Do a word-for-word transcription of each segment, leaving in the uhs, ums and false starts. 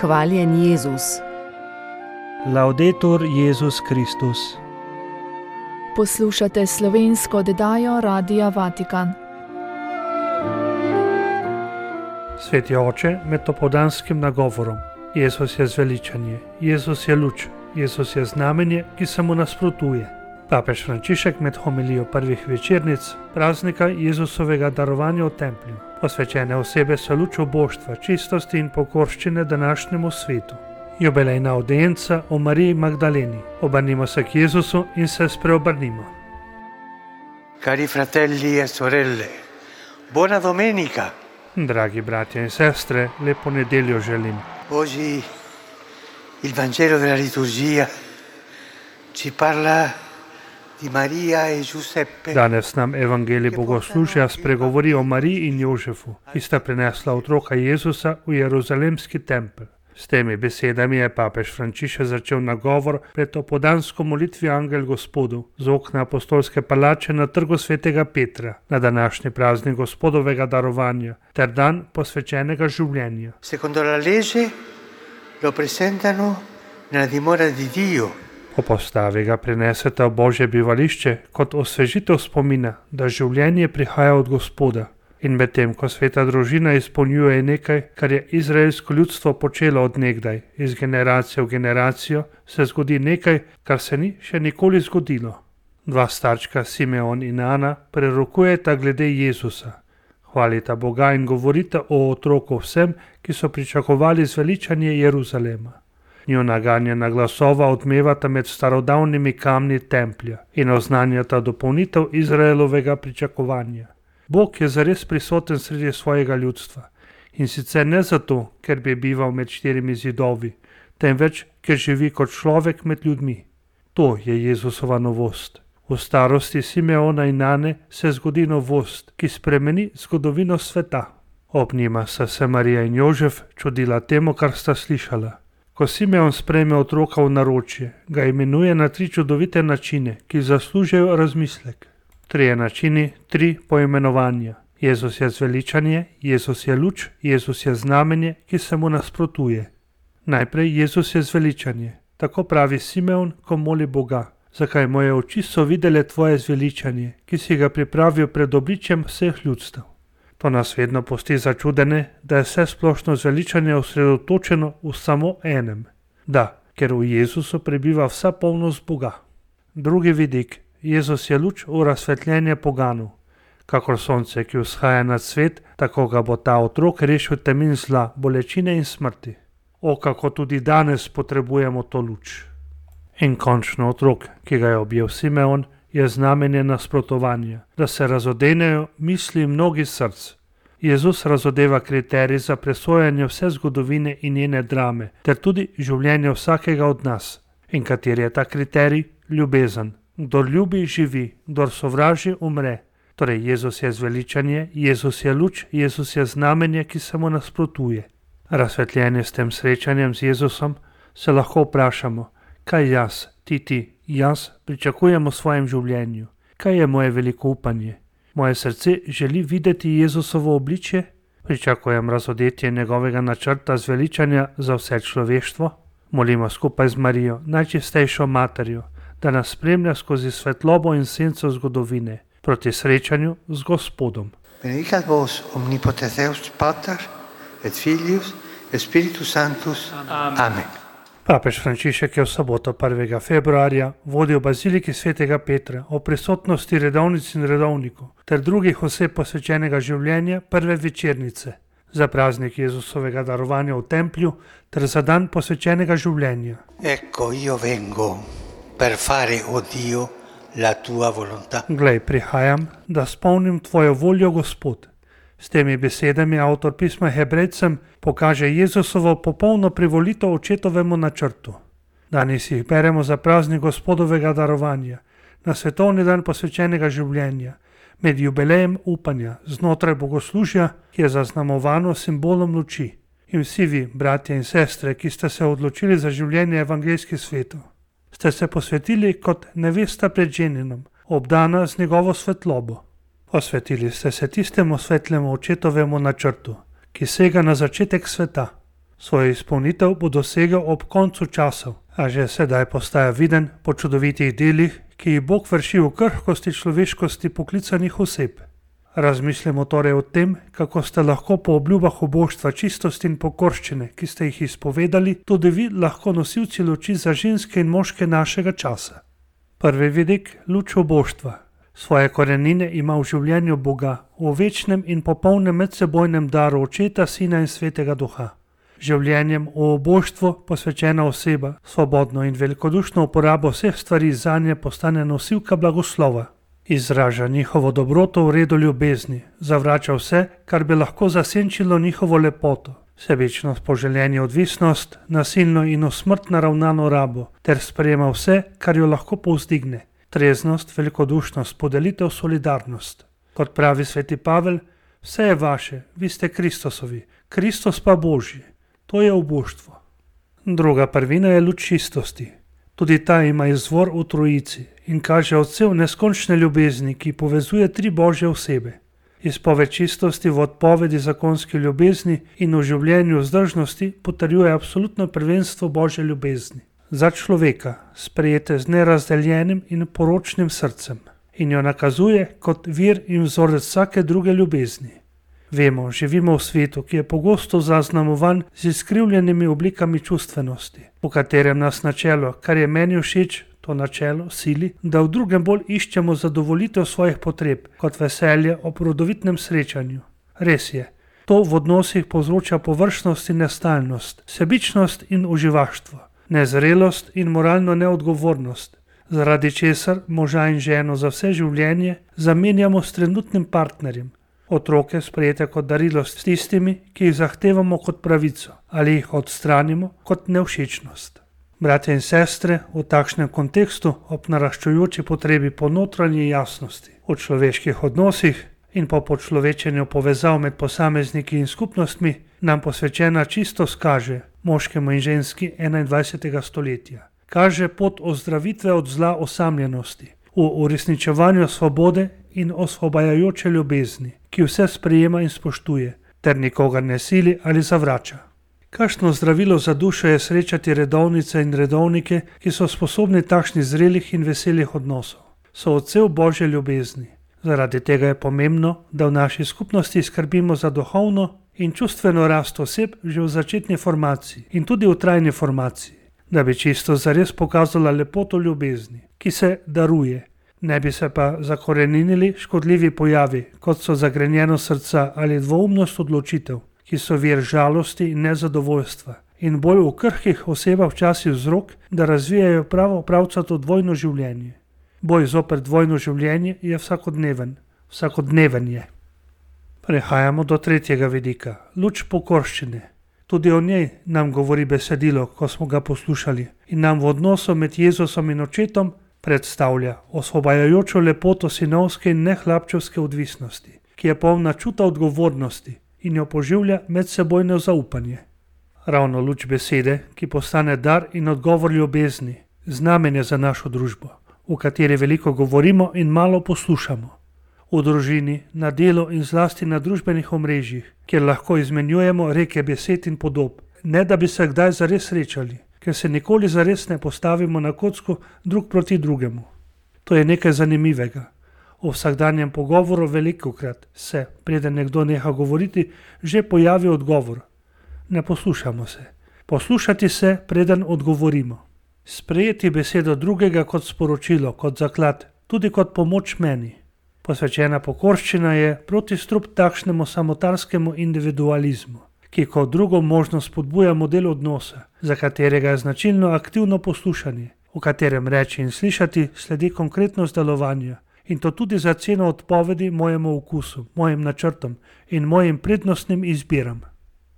Hvaljen Jezus. Laudetur Jezus Kristus. Poslušate slovensko oddajo Radia Vatikan. Sveti oče, med popoldanskim nagovorom. Jezus je zveličanje, Jezus je luč, Jezus je znamenje, ki se mu nasprotuje. Papež Frančišek med homilijo prvih večernic praznika Jezusovega darovanja v templju. Posvečene osebe so luč oboštva, čistosti in pokorščine današnjemu svetu. Jubilejna audienca o Mariji Magdaleni. Obrnimo se k Jezusu in se spreobrnimo. Cari fratelli e sorelle, buona domenica. Dragi bratje in sestre, lepo nedeljo želim. Oggi il Vangelo della liturgia ci parla di Maria e Giuseppe. Danes nam evangelij bogoslužja spregovori o Mariji in Jožefu, ki sta prinesla otroka Jezusa v Jeruzalemski tempelj. S temi besedami je papež Frančišek začel nagovor pred opoldansko molitvijo Angel Gospodu z okna apostolske palače na trgu svetega Petra na današnji praznik Gospodovega darovanja ter dan posvečenega življenja. Secondo la legge lo presentano nella dimora di Dio. Po postavi ga prinesete v Božje bivališče kot osvežitev spomina, da življenje prihaja od Gospoda. In medtem, ko sveta družina izpolnjuje nekaj, kar je izraelsko ljudstvo počelo od nekdaj, iz generacije v generacijo, se zgodi nekaj, kar se ni še nikoli zgodilo. Dva starčka, Simeon in Ana, prerokujeta glede Jezusa. Hvalita Boga in govorita o otroku vsem, ki so pričakovali zveličanje Jeruzalema. Njuna ganjena glasova odmevata med starodavnimi kamni templja in oznanjata dopolnitev Izraelovega pričakovanja. Bog je zares prisoten sredi svojega ljudstva in sicer ne zato, ker bi bival med štirimi zidovi, temveč, ker živi kot človek med ljudmi. To je Jezusova novost. V starosti Simeona in Ane se zgodi novost, ki spremeni zgodovino sveta. Ob njima sta se Marija in Jožef čudila temu, kar sta slišala. Ko Simeon sprejme otroka v naročje, ga imenuje na tri čudovite načine, ki zaslužijo razmislek. Trije načini, tri poimenovanja. Jezus je zveličanje, Jezus je luč, Jezus je znamenje, ki se mu nasprotuje. Najprej Jezus je zveličanje. Tako pravi Simeon, ko moli Boga. Zakaj moje oči so videle tvoje zveličanje, ki si ga pripravil pred obličjem vseh ljudstev. To nas vedno pusti začudene, da je vse splošno zveličanje osredotočeno v samo enem. Da, ker v Jezusu prebiva vsa polnost Boga. Drugi vidik. Jezus je luč v razsvetljenje poganov. Kakor sonce, ki vzhaja nad svet, tako ga bo ta otrok rešil temin zla, bolečine in smrti. O, kako tudi danes potrebujemo to luč. In končno otrok, ki ga je objel Simeon, je znamenje nasprotovanja, da se razodenejo misli mnogih src. Jezus razodeva kriterij za presojanje vse zgodovine in njene drame, ter tudi življenje vsakega od nas. In kateri je ta kriterij? Ljubezen. Kdor ljubi, živi, kdor sovraži, umre. Torej, Jezus je zveličanje, Jezus je luč, Jezus je znamenje, ki se mu nasprotuje. Razsvetljenje s tem srečanjem z Jezusom se lahko vprašamo, kaj jaz, ti, ti, jaz pričakujem v svojem življenju. Kaj je moje veliko upanje? Moje srce želi videti Jezusovo obličje? Pričakujem razodetje njegovega načrta zveličanja za vse človeštvo? Molimo skupaj z Marijo, najčistejšo materjo, da nas spremlja skozi svetlobo in senco zgodovine, proti srečanju z Gospodom. Benedicat vos omnipotens Deus Pater et Filius et Spiritus Sanctus. Amen. Amen. Papež Frančišek je v soboto prvega februarja vodil baziliki svetega Petra o prisotnosti redovnic in redovnikov ter drugih oseb posvečenega življenja prve večernice za praznik Jezusovega darovanja v templju ter za dan posvečenega življenja. Ecco io vengo per fare, o Dio, la tua volontà. Glej, prihajam, da spolnim tvojo voljo, Gospod. S temi besedami avtor pisma Hebrejcem pokaže Jezusovo popolno privolitev očetovemu načrtu. Danes jih beremo za praznik Gospodovega darovanja, na svetovni dan posvečenega življenja, med jubilejem upanja, znotraj bogoslužja, ki je zaznamovano simbolom luči. In vsi vi, bratje in sestre, ki ste se odločili za življenje evangeljskih svetov, ste se posvetili kot nevesta pred ženinom, obdana z njegovo svetlobo. Posvetili ste se tistemu svetlemu očetovemu načrtu, ki sega na začetek sveta. Svojo izpolnitev bo dosegel ob koncu časov, a že sedaj postaja viden po čudovitih delih, ki jih Bog vrši v krhkosti človeškosti poklicanih oseb. Razmislimo torej o tem, kako ste lahko po obljubah oboštva, čistosti in pokorščine, ki ste jih izpovedali, tudi vi lahko nosilci luči za ženske in moške našega časa. Prvi vidik, luč oboštva. Svoje korenine ima v življenju Boga, v večnem in popolnem medsebojnem daru Očeta, Sina in Svetega Duha. Življenjem v oboštvu posvečena oseba, svobodno in velikodušno uporabo vseh stvari zanje postane nosilka blagoslova. Izraža njihovo dobroto v redu ljubezni, zavrača vse, kar bi lahko zasenčilo njihovo lepoto, sebičnost, poželjenje, odvisnost, nasilno in v smrt naravnano rabo, ter sprejema vse, kar jo lahko povzdigne, treznost, velikodušnost, podelitev, solidarnost. Kot pravi sveti Pavel, vse je vaše, vi ste Kristosovi, Kristus pa Božji. To je oboštvo. Druga prvina je luč čistosti. Tudi ta ima izvor v Trojici in kaže odsev neskončne ljubezni, ki povezuje tri Božje osebe. Izpoved čistosti v odpovedi zakonske ljubezni in v življenju vzdržnosti potrjuje absolutno prvenstvo Božje ljubezni za človeka, sprejete z nerazdeljenim in poročnim srcem, in jo nakazuje kot vir in vzorec vsake druge ljubezni. Vemo, živimo v svetu, ki je pogosto zaznamovan z izkrivljenimi oblikami čustvenosti, v katerem nas načelo, kar je meni všeč, to načelo sili, da v drugem bolj iščemo zadovoljitev svojih potreb, kot veselje ob rodovitnem srečanju. Res je, to v odnosih povzroča površnost in nestalnost, sebičnost in uživaštvo, nezrelost in moralno neodgovornost, zaradi česar moža in ženo za vse življenje zamenjamo s trenutnim partnerjem. Otroke sprejete kot darilo s tistimi, ki jih zahtevamo kot pravico, ali jih odstranimo kot nevšečnost. Bratje in sestre, v takšnem kontekstu, ob naraščujoči potrebi po notranji jasnosti, v človeških odnosih in po počlovečenju povezav med posamezniki in skupnostmi, nam posvečena čistost kaže, moškemu in ženski enaindvajsetega stoletja. Kaže pot ozdravitve od zla osamljenosti, v uresničevanju svobode in osvobajajoče ljubezni, ki vse sprejema in spoštuje, ter nikogar ne sili ali zavrača. Kakšno zdravilo za dušo je srečati redovnice in redovnike, ki so sposobni takšnih zrelih in veselih odnosov. So odsev Božje ljubezni. Zaradi tega je pomembno, da v naši skupnosti skrbimo za duhovno in čustveno rast oseb že v začetni formaciji in tudi v trajni formaciji, da bi čisto zares pokazala lepoto ljubezni, ki se daruje. Ne bi se pa zakoreninili škodljivi pojavi, kot so zagrenjenost srca ali dvoumnost odločitev, ki so vir žalosti in nezadovoljstva in bolj v krhkih osebah včasih vzrok, da razvijajo pravo pravcato dvojno življenje. Boj zoper dvojno življenje je vsakodneven, vsakodneven je. Prehajamo do tretjega vidika, luč pokorščine. Tudi o njej nam govori besedilo, ko smo ga poslušali, in nam v odnosu med Jezusom in Očetom predstavlja osvobajajočo lepoto sinovske in nehlapčevske odvisnosti, ki je polna čuta odgovornosti in jo poživlja medsebojno zaupanje. Ravno luč besede, ki postane dar in odgovor ljubezni, znamenje za našo družbo, v kateri veliko govorimo in malo poslušamo. V družini, na delu in zlasti na družbenih omrežjih, kjer lahko izmenjujemo reke besed in podob, ne da bi se kdaj zares srečali, ker se nikoli zares ne postavimo na kocko drug proti drugemu. To je nekaj zanimivega. V vsakdanjem pogovoru velikokrat se, preden nekdo neha govoriti, že pojavi odgovor. Ne poslušamo se. Poslušati se, preden odgovorimo. Sprejeti besedo drugega kot sporočilo, kot zaklad, tudi kot pomoč meni. Posvečena pokorščina je protistrup takšnemu samotarskemu individualizmu, ki kot drugo možnost spodbuja model odnosa, za katerega je značilno aktivno poslušanje, v katerem reči in slišati sledi konkretnost delovanja, in to tudi za ceno odpovedi mojemu okusu, mojim načrtom in mojim prednostnim izbiram.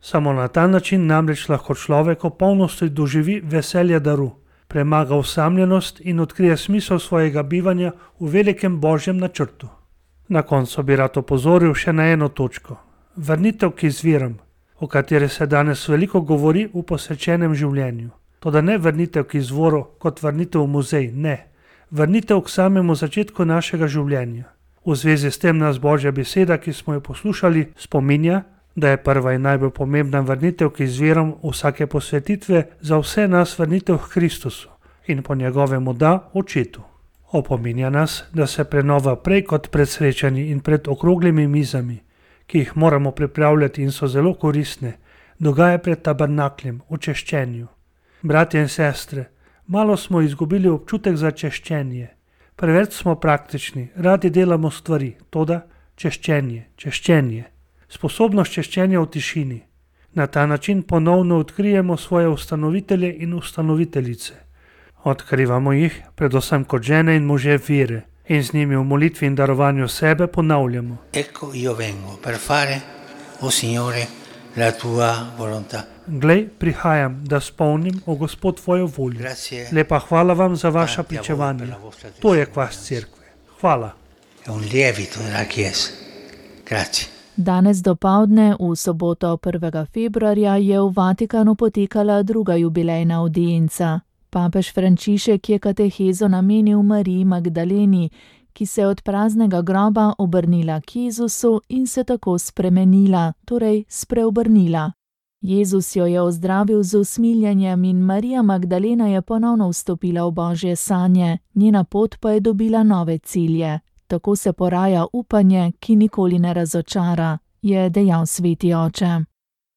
Samo na ta način namreč lahko človek v polnosti doživi veselje daru, premaga osamljenost in odkrije smisel svojega bivanja v velikem Božjem načrtu. Na koncu bi rad opozoril še na eno točko. Vrnitev k izviram, o kateri se danes veliko govori v posvečenem življenju. Toda ne vrnitev k izvoru kot vrnitev v muzej, ne. Vrnitev k samemu začetku našega življenja. V zvezi s tem nas Božja beseda, ki smo jo poslušali, spominja, da je prva in najbolj pomembna vrnitev k izvirom vsake posvetitve za vse nas vrnitev k Kristusu in po njegovemu da Očetu. Opominja nas, da se prenova prej kot pred srečanji in pred okroglimi mizami, ki jih moramo pripravljati in so zelo koristne, dogaja pred tabernakljem, v češčenju. Bratje in sestre, malo smo izgubili občutek za češčenje. Preveč smo praktični, radi delamo stvari, toda češčenje, češčenje. Sposobnost češčenja v tišini. Na ta način ponovno odkrijemo svoje ustanovitelje in ustanoviteljice. Odkrivamo jih, predvsem kot žene in može vere, in z njimi v molitvi in darovanju sebe ponavljamo. Ecco io vengo per fare, o Signore, la tua volontà. Glej, prihajam, da spolnim, o Gospod, tvojo voljo. Lepa hvala vam za vaša pričevanja. To je kvas cerkve. Hvala. È un lievito della Chiesa. Grazie. Danes dopoldne, v soboto prvega februarja, je v Vatikanu potekala druga jubilejna avdienca. Papež Frančišek je katehezo namenil Mariji Magdaleni, ki se je od praznega groba obrnila k Jezusu in se tako spremenila, torej spreobrnila. Jezus jo je ozdravil z usmiljenjem in Marija Magdalena je ponovno vstopila v Božje sanje, njena pot pa je dobila nove cilje. Tako se poraja upanje, ki nikoli ne razočara, je dejal sveti oče.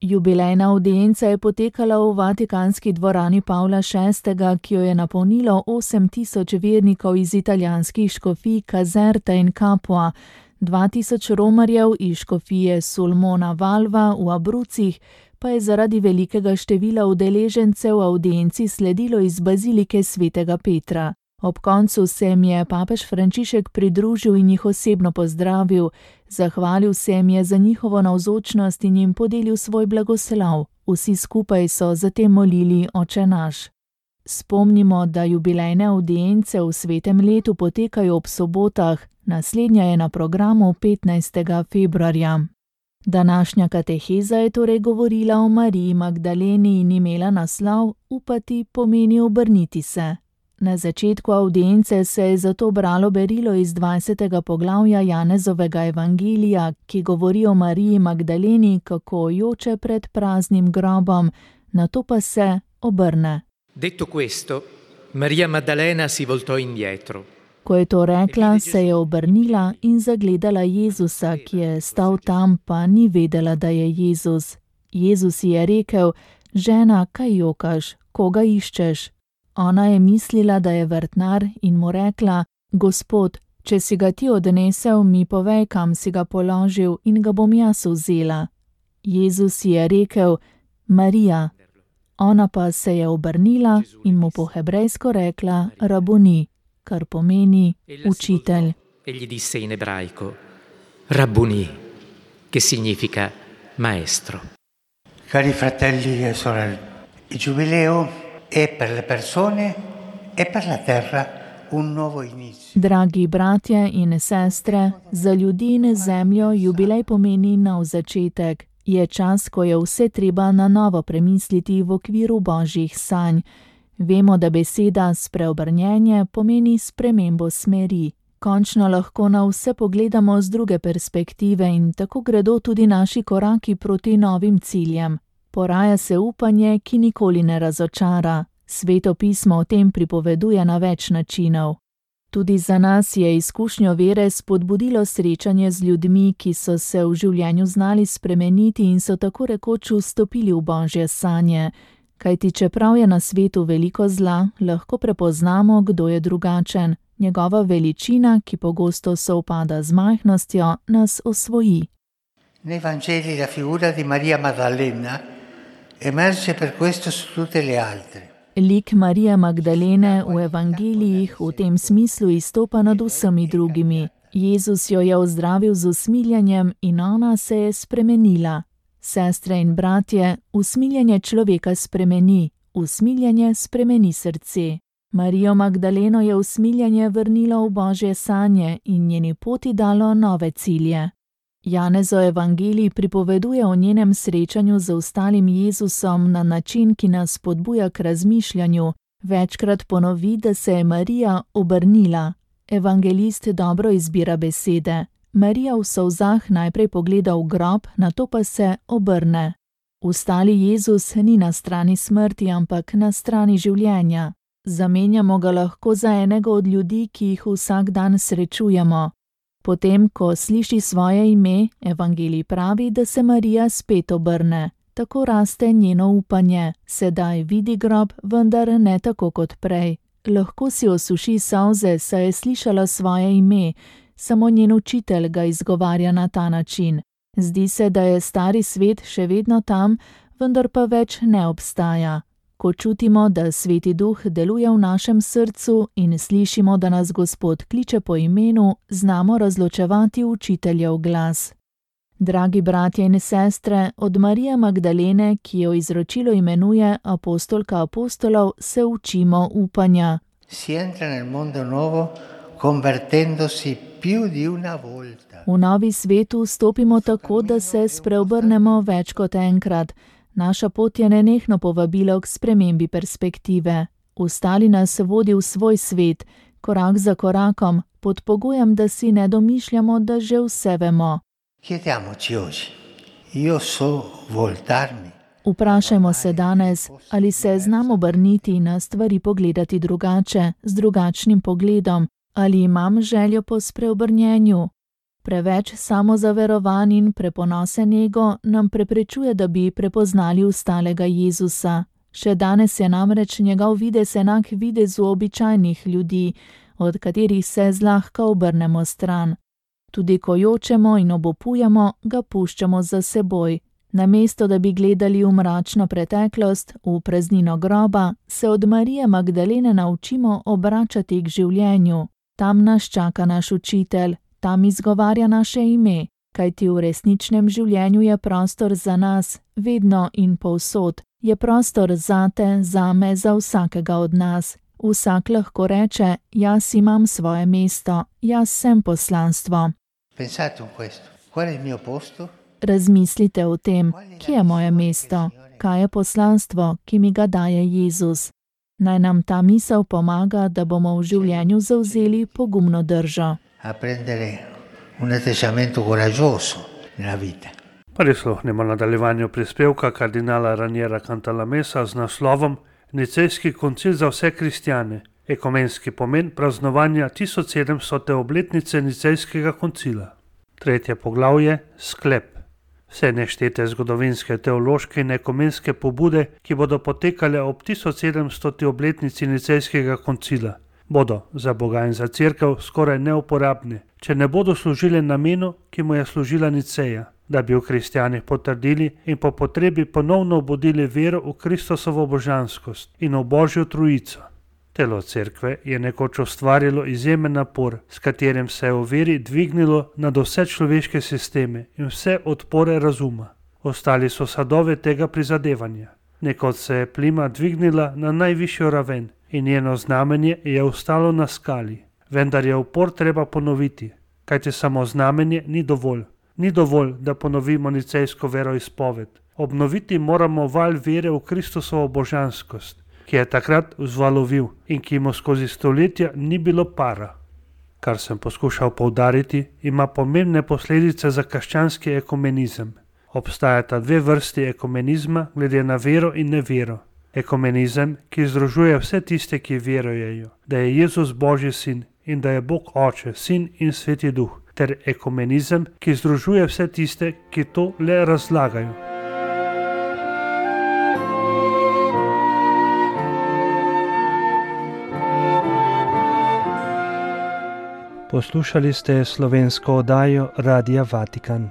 Jubilejna avdienca je potekala v vatikanski dvorani Pavla šestega, ki jo je napolnilo osem tisoč vernikov iz italijanskih škofij Caserta in Capua, dva tisoč romarjev iz škofije Sulmona Valva v Abrucih, pa je zaradi velikega števila udeležencev avdienci sledilo iz bazilike svetega Petra. Ob koncu se jim je papež Frančišek pridružil in jih osebno pozdravil, zahvalil se jim je za njihovo navzočnost in jim podelil svoj blagoslov. Vsi skupaj so zatem molili Oče naš. Spomnimo, da jubilejne avdience v svetem letu potekajo ob sobotah, naslednja je na programu petnajstega februarja. Današnja kateheza je torej govorila o Mariji Magdaleni in imela naslov Upati pomeni obrniti se. Na začetku avdience se je zato bralo berilo iz dvajsetega poglavja Janezovega evangelija, ki govori o Mariji Magdaleni, kako joče pred praznim grobom, nato pa se obrne. Detto questo, Maria Maddalena si voltò indietro. Ko je to rekla, se je obrnila in zagledala Jezusa, ki je stal tam, pa ni vedela, da je Jezus. Jezus ji je rekel: žena, kaj jokaš, koga iščeš? Ona je mislila, da je vrtnar in mu rekla: Gospod, če si ga ti odnesel, mi povej, kam si ga položil in ga bom jaz vzela. Jezus ji je rekel: Marija. Ona pa se je obrnila in mu po hebrejsko rekla Rabuni, kar pomeni učitelj. E gli disse in ebraico Rabbuni, che significa maestro. Cari fratelli e sorelle, il giubileo è per le persone e per la terra un nuovo inizio. Dragi bratje in sestre, za ljudi in zemljo jubilej pomeni nov začetek. Je čas, ko je vse treba na novo premisliti v okviru božjih sanj. Vemo, da beseda spreobrnjenje pomeni spremembo smeri. Končno lahko na vse pogledamo z druge perspektive in tako gredo tudi naši koraki proti novim ciljem. Poraja se upanje, ki nikoli ne razočara. Sveto pismo o tem pripoveduje na več načinov. Tudi za nas je izkušnjo vere spodbudilo srečanje z ljudmi, ki so se v življenju znali spremeniti in so tako rekoč vstopili v božje sanje. Kajti čeprav je na svetu veliko zla, lahko prepoznamo, kdo je drugačen. Njegova veličina, ki pogosto sovpada z majhnostjo, nas osvoji. Nei Vangeli la figura di Maria Maddalena emerge per questo su tutte le altre. Lik Marije Magdalene v evangelijih v tem smislu izstopa nad vsemi drugimi. Jezus jo je ozdravil z usmiljenjem in ona se je spremenila. Sestre in bratje, usmiljenje človeka spremeni, usmiljenje spremeni srce. Marijo Magdaleno je usmiljenje vrnilo v božje sanje in njeni poti dalo nove cilje. Janezov evangelij pripoveduje o njenem srečanju z ostalim Jezusom na način, ki nas spodbuja k razmišljanju. Večkrat ponovi, da se je Marija obrnila. Evangelist dobro izbira besede. Marija v solzah najprej pogleda v grob, nato pa se obrne. Vstali Jezus ni na strani smrti, ampak na strani življenja. Zamenjamo ga lahko za enega od ljudi, ki jih vsak dan srečujemo. Potem, ko sliši svoje ime, evangelij pravi, da se Marija spet obrne. Tako raste njeno upanje. Sedaj vidi grob, vendar ne tako kot prej. Lahko si osuši solze, saj je slišala svoje ime, samo njen učitelj ga izgovarja na ta način. Zdi se, da je stari svet še vedno tam, vendar pa več ne obstaja. Ko čutimo, da Sveti Duh deluje v našem srcu in slišimo, da nas Gospod kliče po imenu, znamo razločevati učiteljev glas. Dragi bratje in sestre, od Marije Magdalene, ki jo izročilo imenuje apostolka apostolov, se učimo upanja. Si entra nel mondo nuovo convertendosi più di una volta. V novi svetu stopimo tako, da se spreobrnemo več kot enkrat. Naša pot je nenehno povabilo k spremembi perspektive. Ustali nas vodi v svoj svet, korak za korakom, pod pogojem, da si ne domišljamo, da že vse vemo. Chiediamoci oggi, io so voltarmi. Vprašajmo se danes, ali se znam obrniti na stvari pogledati drugače, z drugačnim pogledom, ali imam željo po spreobrnjenju. Preveč samozaverovan in preponosen ego nam preprečuje, da bi prepoznali ustalega Jezusa. Še danes je namreč njegov videz enak videzu običajnih ljudi, od katerih se zlahka obrnemo stran. Tudi ko jočemo in obupujemo, ga puščamo za seboj. Namesto da bi gledali v mračno preteklost, v praznino groba, se od Marije Magdalene naučimo obračati k življenju. Tam nas čaka naš učitelj, tam izgovarja naše ime, kajti v resničnem življenju je prostor za nas, vedno in povsod. Je prostor zate, zame, za vsakega od nas. Vsak lahko reče, jaz imam svoje mesto, jaz sem poslanstvo. Pensate in questo, qual è il mio posto? Razmislite o tem, kje je moje mesto, kaj je poslanstvo, ki mi ga daje Jezus. Naj nam ta misel pomaga, da bomo v življenju zavzeli pogumno držo. A prendere un atteggiamento coraggioso nella vita. Prisluhnimo nadaljevanju prispevka kardinala Raniera Cantalamessa z naslovom Nicejski koncil za vse kristjane, ekumenski pomen praznovanja tisoč sedemstote obletnice Nicejskega koncila. Tretje poglavje, sklep. Vse neštete zgodovinske, teološke in ekumenske pobude, ki bodo potekale ob tisoč sedemstoti obletnici Nicejskega koncila, bodo za Boga in za Cerkev skoraj neuporabne, če ne bodo služile namenu, ki mu je služila Niceja, da bi v kristjanih potrdili in po potrebi ponovno obudili vero v Kristusovo božanskost in v Božjo trojico. Telo Cerkve je nekoč ustvarilo izjemen napor, s katerim se je v veri dvignilo nad vse človeške sisteme in vse odpore razuma. Ostali so sadove tega prizadevanja. Nekoč se je plima dvignila na najvišjo raven in njeno znamenje je ostalo na skali. Vendar je upor treba ponoviti, kajti samo znamenje ni dovolj. Ni dovolj, da ponovimo nicejsko veroizpoved. Obnoviti moramo val vere v Kristusovo božanskost, ki je takrat vzvalovil in ki mu skozi stoletja ni bilo para. Kar sem poskušal poudariti, ima pomembne posledice za krščanski ekumenizem. Obstajata dve vrsti ekumenizma glede na vero in nevero. Ekumenizem, ki združuje vse tiste, ki verujejo, da je Jezus Božji sin in da je Bog Oče, Sin in Sveti Duh, ter ekumenizem, ki združuje vse tiste, ki to le razlagajo. Poslušali ste slovensko oddajo Radia Vatikan.